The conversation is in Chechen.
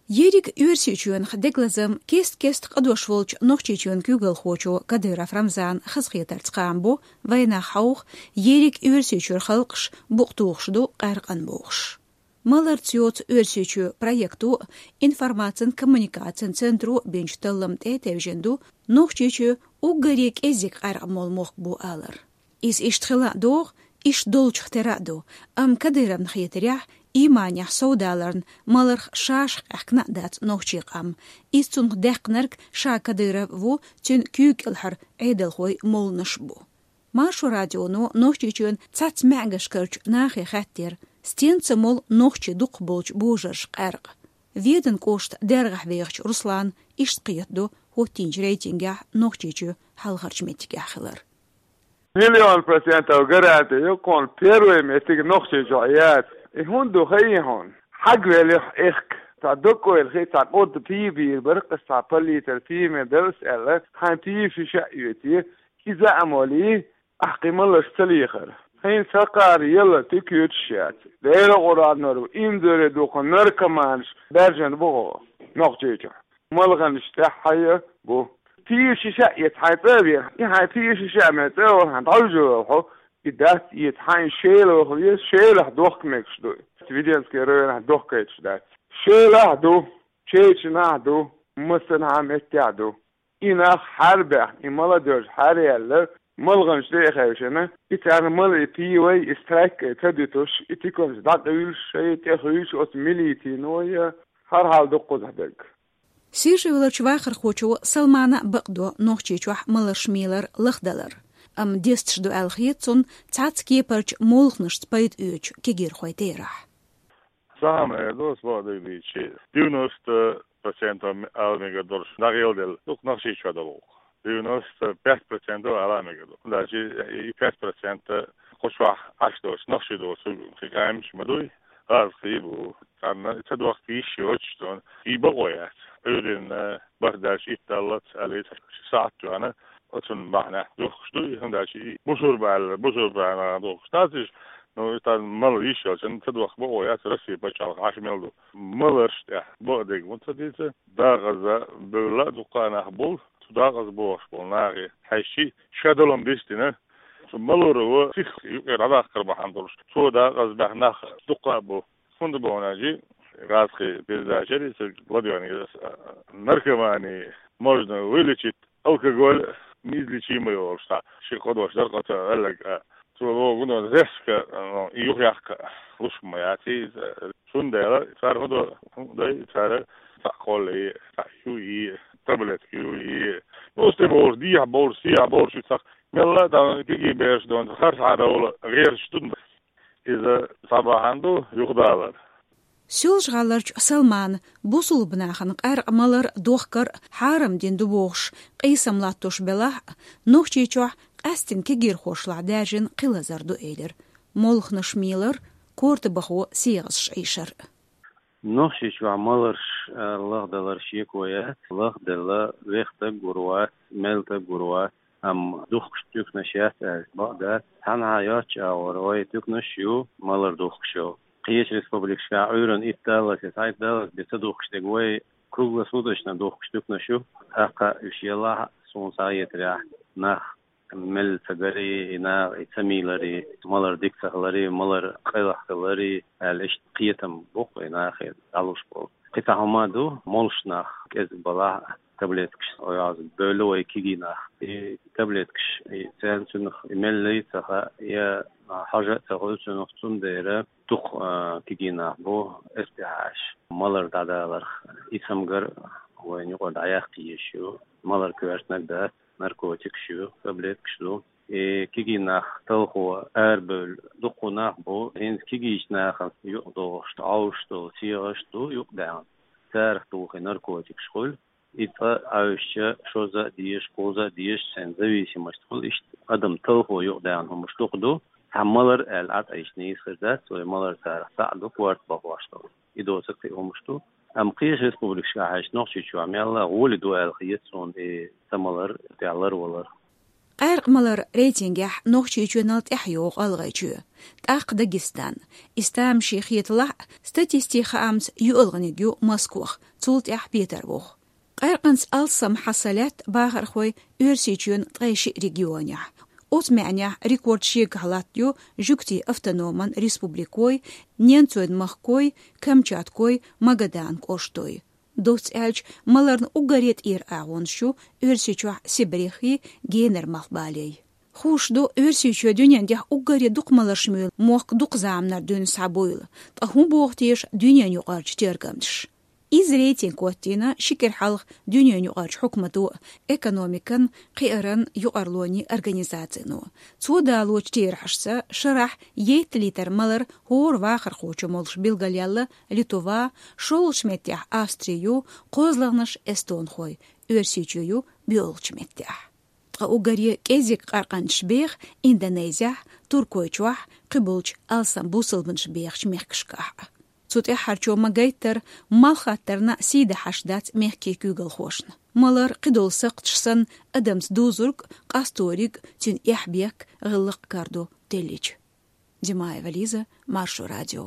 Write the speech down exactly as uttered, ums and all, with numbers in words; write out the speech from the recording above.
Ерриг Оьрсийчоьнах дегалазам кест-кеста къадош волчу Нохчийчоьнан куьйгалхочо Кадыров Рамзана хазахетарца кхаам бо, вайнах хьовха, ерриг Оьрсийчуьра халкъаш букъ тухуш ду къаьркъан бохуш. Маларца йоцу Оьрсийчоь проекто а, информацин-коммуникацин центро а бинчу таллам тӀе а тевжина ду, Нохчийчоь уггаре кӀеззиг къаьркъа молу мохк бу алар. Иза иштта хила а догӀу, иштта долчух тера а ду, амма Кадыровна хетарехь, ийманехь совдаларна маларх шаьш къаьхкина а дац нохчийн къам. Иза цунах даьккхинарг ша Кадыров ву, цуьнан куьйга кӀелхьара Ӏедалхой молланаш а бу. Маршо радионо Нохчийчоьнан цхьацца маьӀгашкарчу нахе хаьттира, стенца молу нохчийн дукхахболчу божарша къаьркъа. Веданан кӀоштан дерхьехь вехачу Руслана иштта кхетадо хӀоттийначу рейтингехь Нохчийчоь хьалхарчу меттигехь хилар. Миллион процентов гаранти ю, кхунна первый меттиг Нохчийчохь яц. И хӀунда ду хаий хьуна? Хьагвеллехь, эхка, цхьа доккхойла хи, цхьа къурда пий бийр бара, аса цхьа паллитар пий ма делла аьлла, хьайн пий шиша а оьций, иза а молий, ахь кхин маларш ца лехара. Хьайна ца кхара елла тӀе куьйдуш яц. Делан Къуръанор ву, инзаре дукха наркоманаш баьржина бу хьо Нохчийчохь. Малханаш тӀаьххье бу. Пий шиша а эца хьайн цӀа а вехна, и хьайн пий шиша а мел цӀа а вахана, дӀовжа ваха хьо, и дац эца хьайн шелахь веза, шелахь дохка мегаш ду. Веденский районахь дохкайташ дац. Шелахь ду, Чечанахь ду, массанхьа меттехь ду. И нах хьарбаьхна, и молодёжь хьараелла, малханаш тӀе а хевшина, и царна мала и пий вай, и страйк а ца дуьтуш, и тиканаш дӀакъуьйлуш, шайн тӀе хуьйшуш оцу милицино я, хӀара хьал дуккхузахь дерг. Сиржа-Эвларчу вахархочо Салмана а бакъдо Нохчийчохь маларш мелар лахдалар. Амма десташ ду аьлла хета цунна цхьацца кепарчу молханашца пайда оьцучу кегийрхойн терахь. Сан хьан эр ду, ас бакъдерг дийцича, девяносто процентов ала мегар долуш дӀагӀелделла дукха Нохчийчохь долу гӀуллакх. Девяносто пять процентов ала мегар ду. ХӀунда аьлча и пять процентов кху чохь Ӏаш доцу нохчий доцург кхин къаьмнаш ма дуй, гӀазкхий бу. Царна ца дохка йиш йоцуш ду, и бакъо яц. Ӏуьйранна бархӀ даьлча итт даллалц аьлла, ши сахьт тоьхна, оцунна бахьанехь духкуш ду, хӀунда аьлча и бусурба аьлла, бусурба аьлла духкуш дац уьш, ну, и тхан мала йиш йолчунна ца дохка бакъо яц, Россия пачхьалкх Ӏаш мел ду. Маларш тӀехь бакъдерг муха ца дийца, дакъаза бевлла а дуккха а нах бу, цу дакъаза бохуш болу нахе хьаьжча, ша долу-м дистина, цу маларо сиха юкъера дӀадаккхар бахьана долуш, цо дакъаза баьхна нах дуккха а бу. ХӀунда боху аьлча, гӀазкхи передачари ца ладоьгӀна иза, наркомани можно вылечить алкоголь, неизлечимый олуш цхьа ши кхо дош дара, кхо ца велларг а. Цо боху, ну, резко, ну, и юхаяккха луш ма яц иза. Цундела цара хӀун до, хӀун дай, цара цхьаъ кхоллий, цхьаъ юй, таблетка юй. Ну, стебовлуш, дехьа бовлуш, сехьа бовлуш, цхьа мелла а дан кегий бераш дон, харцхьа довла гӀерташ ду. Иза цхьа бахьана ду юхадалар. Соьлжа-ГӀаларчу Салмана бусулба нахана къаьркъа малар дохкар хьарам дина ду бохуш, къийсам латтош белахь а, Нохчийчохь къаьсттина кегийрхошлахь даьржина кхин лазар ду элира: молханаш мелар, корта бахо сегӀазаш Ӏийшар. Нохчийчохь маларш, а, лахдалар шеко яц, лахделла вех стаг гур вац, мел стаг гур вац, амма духкуш туьканаш яц аьлча бакъ дац. Цхьанхьа йоцчу агӀор вай туьканаш а ю, малар духкуш йолу. Кхечу республикашкахь Ӏуьйранна итт даллалц я цхьайтта даллалц бен ца духкуш дерг, вай круглосуточно духкуш туьканаш ю. ТӀаккха уьш елахь а, суна схьахетарехь, нах мелла ца гарий, и наха и ца мийларий, малар дика ца хиларий, малар къайлаха хиларий аьлла, иштта кхетам бу-кх и нахе дӀалуш болу. Кхин цхьа хӀума а ду, молуш нах кӀезиг балахь а, таблеткаш, оьгӀаз бевлла вай кегий нах. И таблеткаш, и царна цунах и меллий а ца хаьа, я хьожа а ца хуьлу цунах, цундела дукха, а, кегий нах бу эс тӀехь Ӏаш, малар дӀадаларх. И цамгар вайна юкъара дӀаяккха езаш ю, малар коьртаниг дац, наркотикаш ю, таблеткаш ду. И кегий нах талхо арабевлла дуккха нах бу, хӀинца кегийчу нахана юкъадохуш, Ӏовшуш долу сегӀаш ду юкъадаьхна. Царах тухий наркотикаш хуьлу. И цкъа Ӏовшуча шозза а дезаш, кхузза а дезаш, цуьнан зависимость хуьлу, иштта адам талхо юкъадаьхна хӀумаш дукха ду. Цхьа малар аьлла Ӏатайча нийса хир дац, вай малар царах цхьаъ ду, корта бахош долу. И доцург кхин хӀумаш ду. Амма кхечу республикашкахь хьаьжча, Нохчийчохь мелла а гӀоли ду аьлла хета суна и ца малар, тӀехь ларвалар. Къаьркъа малар рейтингехь Нохчийчоьнал тӀаьхьа йогӀу ГӀалгӀайчоь, тӀаккха Дагестан. Иза тамашийна хеталахь, статистикан хаамца юьалгӀаниг ю Москох, цул тӀаьхьа Петарбух. Къаьркъанца алсам хьаса лаьтта бахархой Оьрсийчоьнан ткъе шиъ регионехь. Оцу маьӀнехь рекорд шегахь латтайо Жуьгтийн автономан республикой, Ненцойн махкой, Камчаткой, Магадан кӀоштой. Доцца аьлча, маларна уггаре тӀера агӀонаш ю Оьрсийчохь Сибрехи, Генара малхбалей. Хууш ду, Оьрсийчоь дуьнен тӀехь уггаре дукха маларш муьйлу мохк дукха заманара дуьйна схьабуйла, ткъа хӀун боху теша дуьненаюкъарчу тергамчаша? Иза рейтинг хӀоттийна ши кӀира хьалха дуьненаюкъарчу хьукмато, экономикан, кхиаран юкъарлонийн организацино. Цо далочу терахьашца, шарахь етталлитр малар хӀора вахархочо молуш билгалъяьлла Литва, шолгӀачу меттехь Австри ю, кхозлагӀнаш эстонхой, Оьрсийчоь ю боьалгӀачу меттехь. Ткъа уггаре кӀезиг къаьркъанчаш беха Индонезехь, Туркойчохь, кхиболчу алсам бусалбанаш бехачу мехкашкахь. Цу тӀаьххьарчо ма-гайттара, малхаттарна сий дахьаш дац мехкийн куьйгалхошна. Малар кхидолу сакхташ санна адамца дузург, къасториг, цуьнан эхь-бехк, гӀиллакх-карадо теллича. Димаева Лиза, Маршо радио.